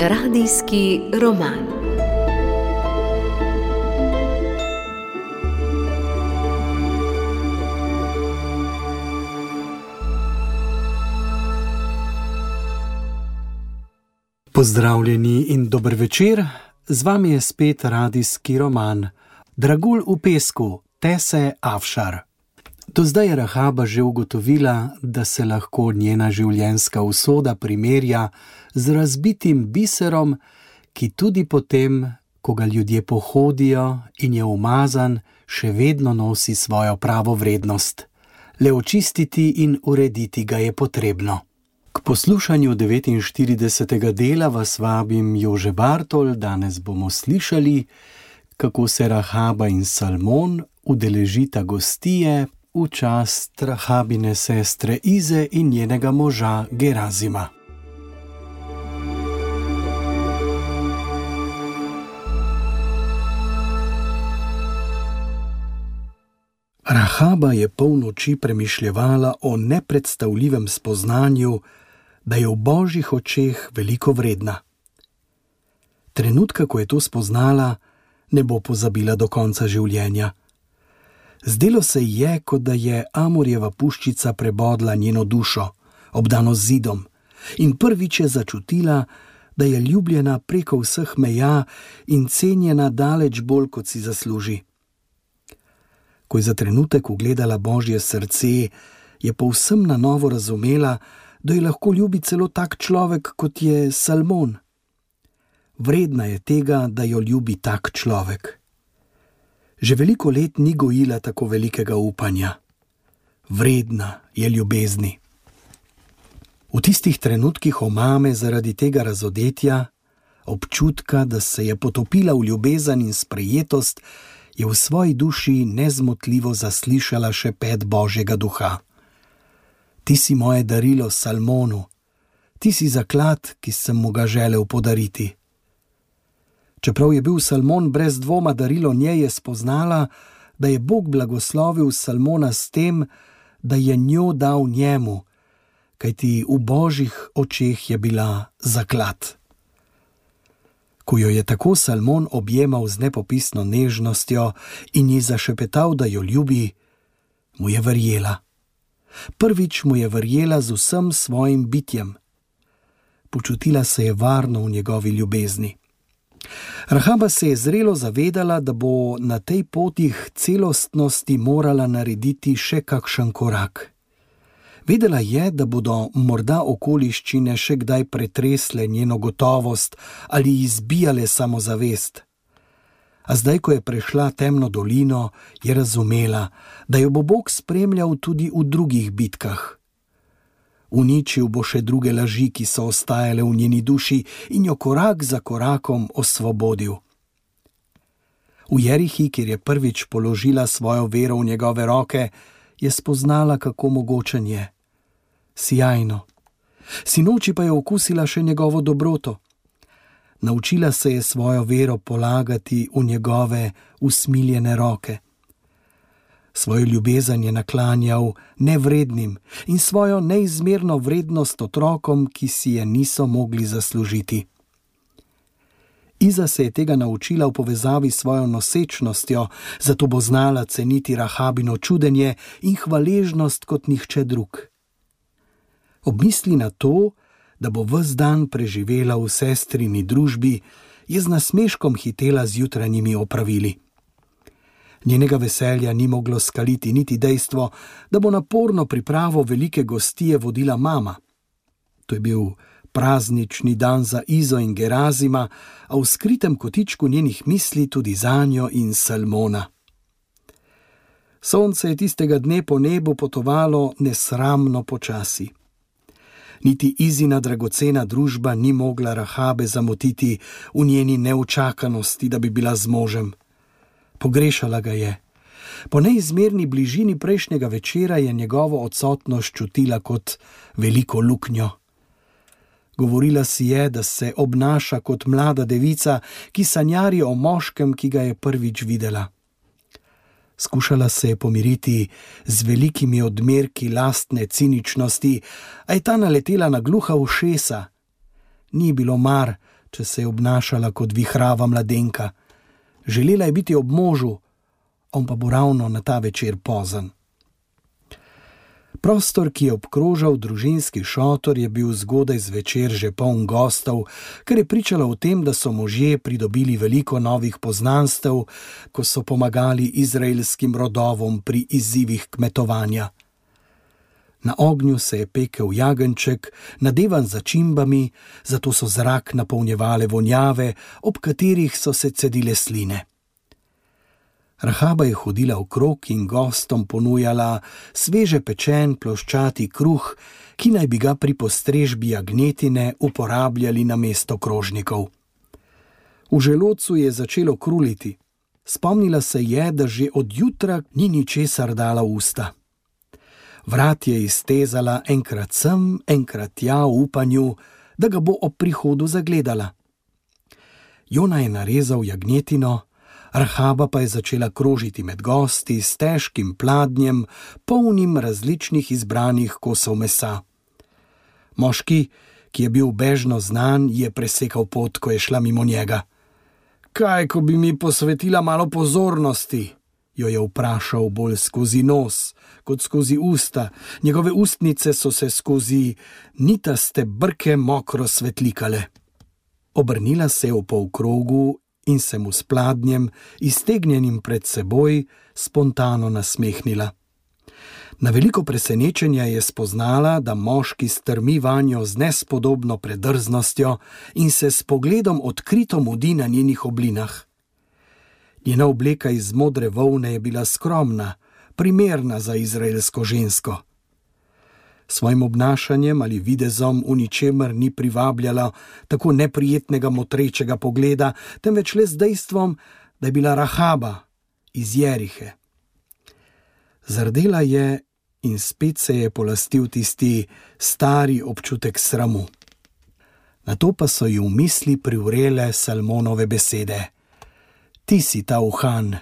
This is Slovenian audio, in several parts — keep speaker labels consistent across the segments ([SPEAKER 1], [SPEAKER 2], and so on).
[SPEAKER 1] Radijski roman.
[SPEAKER 2] Pozdravljeni in dober večer, z vami je spet radijski roman Dragulj v pesku, Tese Afšar. Do zdaj je Rahaba že ugotovila, da se lahko njena življenjska usoda primerja z razbitim biserom, ki tudi potem, ko ga ljudje pohodijo in je umazan, še vedno nosi svojo pravo vrednost. Le očistiti in urediti ga je potrebno. K poslušanju 49. dela vas vabim Jože Bartol. Danes bomo slišali, kako se Rahaba in Salmon udeležita gostije v čast Rahabine sestre Ize in njenega moža Gerazima. Rahaba je polnoči premišljevala o nepredstavljivem spoznanju, da je v Božjih očeh veliko vredna. Trenutka, ko je to spoznala, ne bo pozabila do konca življenja. Zdelo se ji je, kot da je Amorjeva puščica prebodla njeno dušo, obdano z zidom, in prvič je začutila, da je ljubljena preko vseh meja in cenjena daleč bolj, kot si zasluži. Ko je za trenutek ugledala Božje srce, je povsem na novo razumela, da jo lahko ljubi celo tak človek, kot je Salmon. Vredna je tega, da jo ljubi tak človek. Že veliko let ni gojila tako velikega upanja. Vredna je ljubezni. V tistih trenutkih omame zaradi tega razodetja, občutka, da se je potopila v ljubezen in sprejetost, je v svoji duši nezmotljivo zaslišala šepet Božjega duha. Ti si moje darilo Salmonu, ti si zaklad, ki sem mu ga želel podariti. Čeprav je bil Salmon brez dvoma darilo njej, je spoznala, da je Bog blagoslovil Salmona s tem, da je njo dal njemu, kajti v Božjih očeh je bila zaklad. Ko jo je tako Salmon objemal z nepopisno nežnostjo in ji zašepetal, da jo ljubi, mu je verjela. Prvič mu je verjela z vsem svojim bitjem. Počutila se je varno v njegovi ljubezni. Rahaba se je zrelo zavedala, da bo na tej poti k celostnosti morala narediti še kakšen korak. Vedela je, da bodo morda okoliščine še kdaj pretresle njeno gotovost ali izbijale samozavest. A zdaj, ko je prešla temno dolino, je razumela, da jo bo Bog spremljal tudi v drugih bitkah. Uničil bo še druge laži, ki so ostajale v njeni duši, in jo korak za korakom osvobodil. V Jerihi, kjer je prvič položila svojo vero v njegove roke, je spoznala, kako mogočen je. Sijajno. Sinoči pa je okusila še njegovo dobroto. Naučila se je svojo vero polagati v njegove usmiljene roke. Svojo ljubezen je naklanjal nevrednim in svojo neizmerno vrednost otrokom, ki si je niso mogli zaslužiti. Iza se je tega naučila v povezavi s svojo nosečnostjo, zato bo znala ceniti Rahabino čudenje in hvaležnost kot nihče drug. Ob misli na to, da bo ves dan preživela v sestrini družbi, je z nasmeškom hitela z jutranjimi opravili. Njenega veselja ni moglo skaliti niti dejstvo, da bo naporno pripravo velike gostije vodila mama. To je bil praznični dan za Izo in Gerazima, a v skritem kotičku njenih misli tudi zanjo in Salmona. Sonce je tistega dne po nebu potovalo nesramno počasi. Niti Izina dragocena družba ni mogla Rahabe zamotiti v njeni neučakanosti, da bi bila z možem. Pogrešala ga je. Po neizmerni bližini prejšnjega večera je njegovo odsotnost čutila kot veliko luknjo. Govorila si je, da se obnaša kot mlada devica, ki sanjari o moškem, ki ga je prvič videla. Skušala se je pomiriti z velikimi odmerki lastne ciničnosti, a je ta naletela na gluha ušesa. Ni bilo mar, če se je obnašala kot vihrava mladenka. Želela je biti ob možu, on pa bo ravno na ta večer pozen. Prostor, ki je obkrožal družinski šotor, je bil zgodaj zvečer že poln gostov, kar je pričalo o tem, da so možje pridobili veliko novih poznanstev, ko so pomagali izraelskim rodovom pri izzivih kmetovanja. Na ognju se je pekel jagenjček, nadevan z začimbami, zato so zrak napolnjevale vonjave, ob katerih so se cedile sline. Rahaba je hodila okrog in gostom ponujala sveže pečen ploščati kruh, ki naj bi ga pri postrežbi jagnjetine uporabljali namesto krožnikov. V želodcu je začelo kruliti. Spomnila se je, da že od jutra ni ničesar dala v usta. Vrat je iztezala enkrat sem, enkrat tja v upanju, da ga bo ob prihodu zagledala. Jona je narezal jagnjetino, Rahaba pa je začela krožiti med gosti s težkim pladnjem, polnim različnih izbranih kosov mesa. Moški, ki je bil bežno znan, je presekal pot, ko je šla mimo njega. Kaj, ko bi mi posvetila malo pozornosti? Jo je vprašal bolj skozi nos, kot skozi usta. Njegove ustnice so se skozi nitaste brke mokro svetlikale. Obrnila se je v polkrogu in se mu s pladnjem, iztegnjenim pred seboj, spontano nasmehnila. Na veliko presenečenja je spoznala, da moški strmi vanjo z nespodobno predrznostjo in se s pogledom odkrito mudi na njenih oblinah. Njena obleka iz modre volne je bila skromna, primerna za izraelsko žensko. Svojim obnašanjem ali videzom v ničemer ni privabljala tako neprijetnega motrečega pogleda, temveč le z dejstvom, da je bila Rahaba iz Jerihe. Zardela je in spet se je polastil tisti stari občutek sramu. Nato pa so ji v misli privrele Salmonove besede. Ti si ta uhan,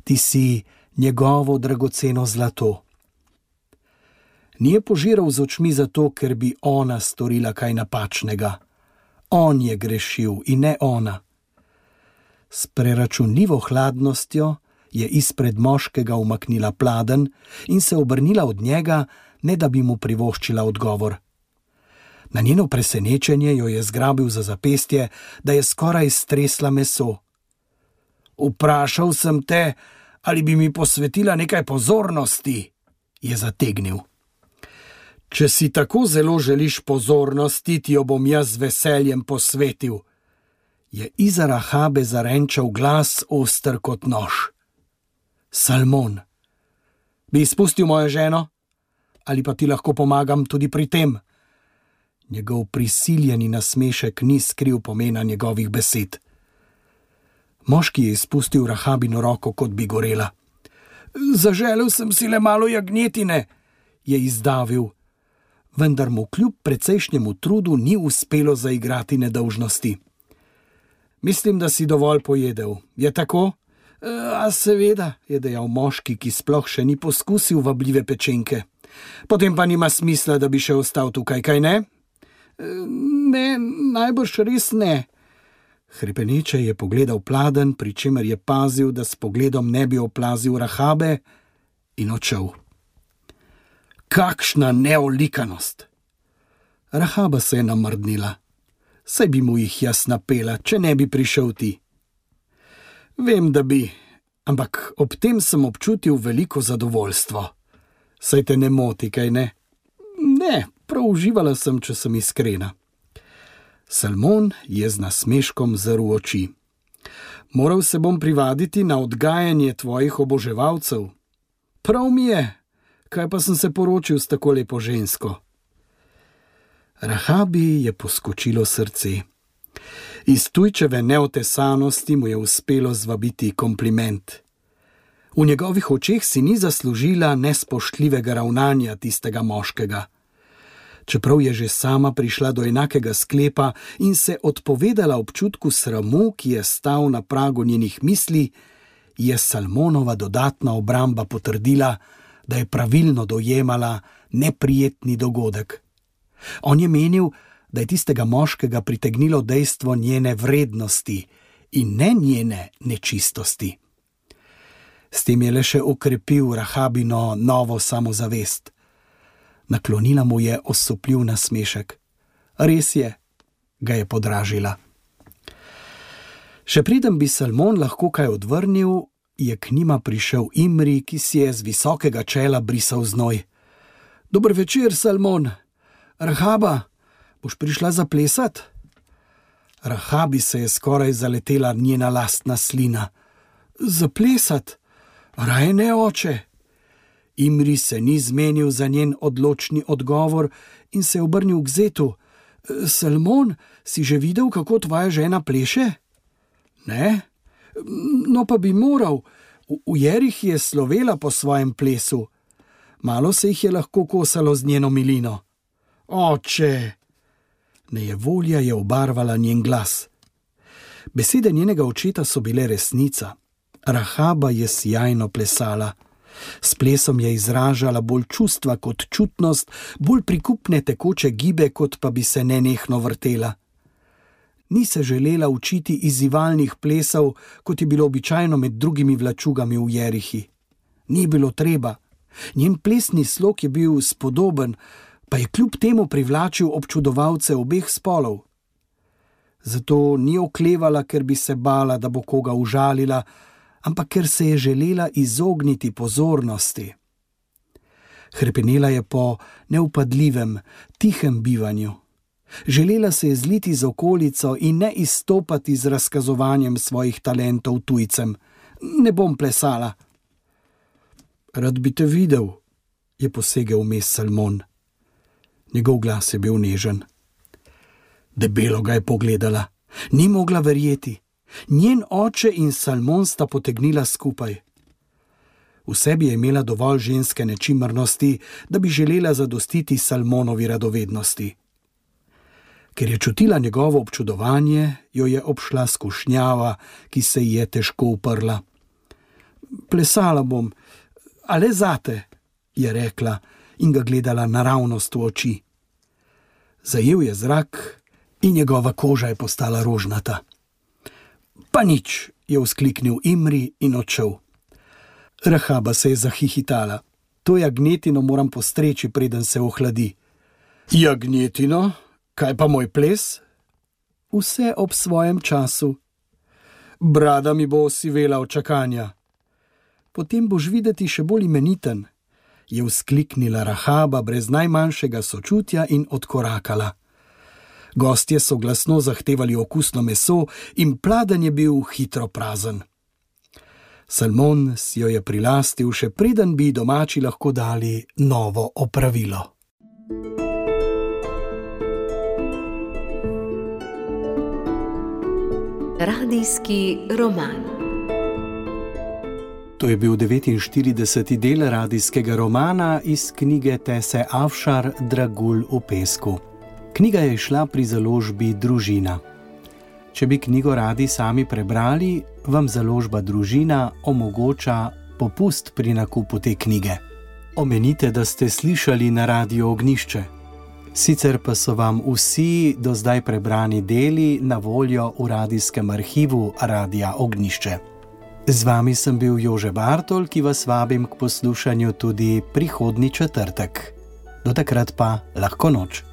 [SPEAKER 2] ti si njegovo dragoceno zlato. Ni je požiral z očmi zato, ker bi ona storila kaj napačnega. On je grešil in ne ona. S preračunljivo hladnostjo je izpred moškega umaknila pladenj in se obrnila od njega, ne da bi mu privoščila odgovor. Na njeno presenečenje jo je zgrabil za zapestje, da je skoraj stresla meso. Vprašal sem te, ali bi mi posvetila nekaj pozornosti, je zategnil. Če si tako zelo želiš pozornosti, ti jo bom jaz z veseljem posvetil, je iza Rahabe zarenčal glas oster kot nož. Salmon, bi izpustil mojo ženo? Ali pa ti lahko pomagam tudi pri tem? Njegov prisiljeni nasmešek ni skril pomena njegovih besed. Moški je izpustil Rahabino roko, kot bi gorela. Zaželel sem si le malo jagnjetine, je izdavil, vendar mu kljub precejšnjemu trudu ni uspelo zaigrati nedolžnosti. Mislim, da si dovolj pojedel, je tako? A seveda, je dejal moški, ki sploh še ni poskusil vabljive pečenke. Potem pa nima smisla, da bi še ostal tukaj, kaj ne? Ne, najbrž res ne. Hrepeneče je pogledal pladenj, pri čemer je pazil, da s pogledom ne bi oplazil Rahabe, in odšel. Kakšna neolikanost! Rahaba se je namrdnila. Saj bi mu jih jaz napela, če ne bi prišel ti. Vem, da bi, ampak ob tem sem občutil veliko zadovoljstvo. Saj te ne moti, kaj ne? Ne, prav uživala sem, če sem iskrena. Salmon je z nasmeškom zrl oči. Moral se bom privaditi na odgajanje tvojih oboževalcev. Prav mi je, kaj pa sem se poročil s tako lepo žensko. Rahabi je poskočilo srce. Iz tujčeve neotesanosti mu je uspelo zvabiti kompliment. V njegovih očeh si ni zaslužila nespoštljivega ravnanja tistega moškega. Čeprav je že sama prišla do enakega sklepa in se odpovedala občutku sramu, ki je stal na pragu njenih misli, je Salmonova dodatna obramba potrdila, da je pravilno dojemala neprijetni dogodek. On je menil, da je tistega moškega pritegnilo dejstvo njene vrednosti in ne njene nečistosti. S tem je le še okrepil Rahabino novo samozavest. Naklonila mu je osupljiv nasmešek. Res je, ga je podražila. Še preden bi Salmon lahko kaj odvrnil, je k njima prišel Imri, ki si je z visokega čela brisal znoj. Dober večer, Salmon. Rahaba, boš prišla zaplesat? Rahabi se je skoraj zaletela njena lastna slina. Zaplesat? Raje ne, oče. Imri se ni zmenil za njen odločni odgovor in se je obrnil k zetu. Salmon, si že videl, kako tvoja žena pleše? Ne? No pa bi moral. V Jerih je slovela po svojem plesu. Malo se jih je lahko kosalo z njeno milino. Oče! Nejevolja je obarvala njen glas. Besede njenega očeta so bile resnica. Rahaba je sijajno plesala. S plesom je izražala bolj čustva kot čutnost, bolj prikupne tekoče gibe, kot pa bi se nenehno vrtela. Ni se želela učiti izzivalnih plesov, kot je bilo običajno med drugimi vlačugami v Jerihi. Ni bilo treba. Njen plesni slog je bil spodoben, pa je kljub temu privlačil občudovalce obeh spolov. Zato ni oklevala, ker bi se bala, da bo koga užalila, ampak ker se je želela izogniti pozornosti. Hrepenela je po neupadljivem, tihem bivanju. Želela se je zliti z okolico in ne izstopati z razkazovanjem svojih talentov tujcem. Ne bom plesala. Rad bi te videl, je posegel vmes Salmon. Njegov glas je bil nežen. Debelo ga je pogledala. Ni mogla verjeti. Njen oče in Salmon sta potegnila skupaj. V sebi je imela dovolj ženske nečimrnosti, da bi želela zadostiti Salmonovi radovednosti. Ker je čutila njegovo občudovanje, jo je obšla skušnjava, ki se ji je težko uprla. Plesala bom, a le zate, je rekla in ga gledala naravnost v oči. Zajel je zrak in njegova koža je postala rožnata. Pa nič, je vzkliknil Imri in odšel. Rahaba se je zahihitala. To jagnjetino moram postreči, preden se ohladi. Jagnjetino? Kaj pa moj ples? Vse ob svojem času. Brada mi bo osivela od čakanja. Potem boš videti še bolj imeniten, je vzkliknila Rahaba brez najmanjšega sočutja in odkorakala. Gostje so glasno zahtevali okusno meso in pladenj je bil hitro prazen. Salmon si jo je prilastil, še preden bi domači lahko dali novo opravilo.
[SPEAKER 1] Radijski roman.
[SPEAKER 2] To je bil 49. del radijskega romana iz knjige Tese Afšar Dragulj v pesku. Knjiga je izšla pri založbi Družina. Če bi knjigo radi sami prebrali, vam založba Družina omogoča popust pri nakupu te knjige. Omenite, da ste slišali na Radiu Ognjišče. Sicer pa so vam vsi do zdaj prebrani deli na voljo v radijskem arhivu Radia Ognjišče. Z vami sem bil Jože Bartol, ki vas vabim k poslušanju tudi prihodnji četrtek. Do takrat pa lahko noč.